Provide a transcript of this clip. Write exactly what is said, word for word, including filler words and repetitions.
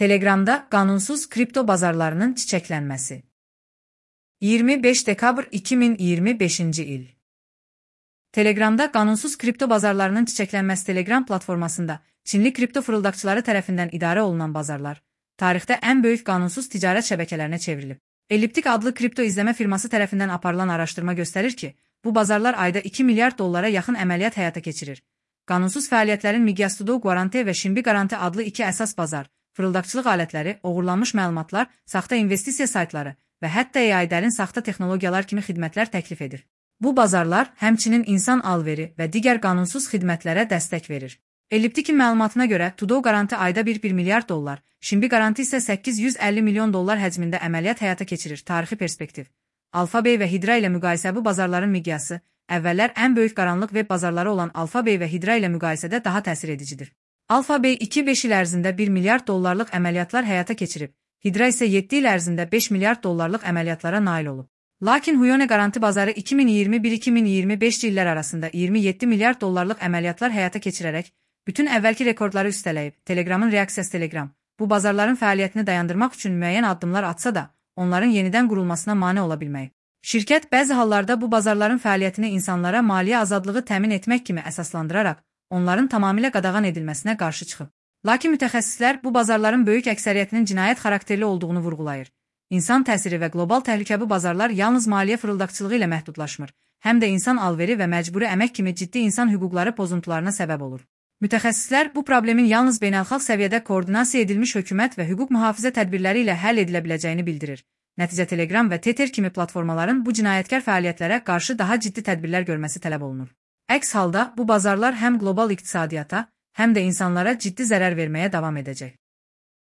Telegramda qanunsuz kripto bazarlarının çiçəklənməsi. iyirmi beş dekabr iki min iyirmi beşinci il. Telegramda qanunsuz kripto bazarlarının çiçəklənməsi Telegram platformasında Çinli kripto fırıldaqçıları tərəfindən idarə olunan bazarlar, tarixdə ən böyük qanunsuz ticarət şəbəkələrinə çevrilib. Elliptik adlı kripto izləmə firması tərəfindən aparılan araşdırma göstərir ki, bu bazarlar ayda iki milyard dollara yaxın əməliyyat həyata keçirir. Qanunsuz fəaliyyətlərin Migyastudou Guarante və Shimbi Garante adlı iki əsas bazar, fırıldaqçılıq alətləri, oğurlanmış məlumatlar, saxta investisiya saytları və hətta A I-dərin saxta texnologiyalar kimi xidmətlər təklif edir. Bu bazarlar həmçinin insan alveri və digər qanunsuz xidmətlərə dəstək verir. Elliptikin məlumatına görə Tudou Garante ayda bir milyard dollar, Shimbi Garante isə səkkiz yüz əlli milyon dollar həcmində əməliyyat həyata keçirir. Tarixi perspektiv. Alphabay və Hydra ilə müqayisə bu bazarların miqyası, əvvəllər ən böyük qaranlıq veb bazarları olan Alphabay və Hydra ilə müqayisədə daha təsir edicidir. Alphabay iki beş il ərzində bir milyard dollarlıq əməliyyatlar həyata keçirib, Hydra isə yeddi il ərzində beş milyard dollarlıq əməliyyatlara nail olub. Lakin Huono Garanti bazarı iki min iyirmi bir iki min iyirmi beş illər arasında iyirmi yeddi milyard dollarlıq əməliyyatlar həyata keçirərək bütün əvvəlki rekordları üstələyib. Telegramın reaksiyası Telegram, bu bazarların fəaliyyətini dayandırmaq üçün müəyyən addımlar atsa da, onların yenidən qurulmasına mane ola bilməyib. Şirkət bəzi hallarda bu bazarların fəaliyyətini insanlara maliyyə azadlığı təmin etmək kimi əsaslandıraraq, onların tamamilə qadağan edilməsinə qarşı çıxıb. Lakin mütəxəssislər bu bazarların böyük əksəriyyətinin cinayət xarakterli olduğunu vurğulayır. İnsan təsiri və qlobal təhlükə bu bazarlar yalnız maliyyə fırıldaqçılığı ilə məhdudlaşmır, həm də insan alveri və məcburi əmək kimi ciddi insan hüquqları pozuntularına səbəb olur. Mütəxəssislər bu problemin yalnız beynəlxalq səviyyədə koordinasiya edilmiş hökumət və hüquq mühafizə tədbirləri ilə həll edilə biləcəyini bildirir. Nəticə Telegram və Tether kimi platformaların bu cinayətkar fəaliyyətlərə qarşı daha ciddi tədbirlər görməsi tələb olunur. Əks halda bu bazarlar həm qlobal iqtisadiyyata, həm də insanlara ciddi zərər verməyə davam edəcək.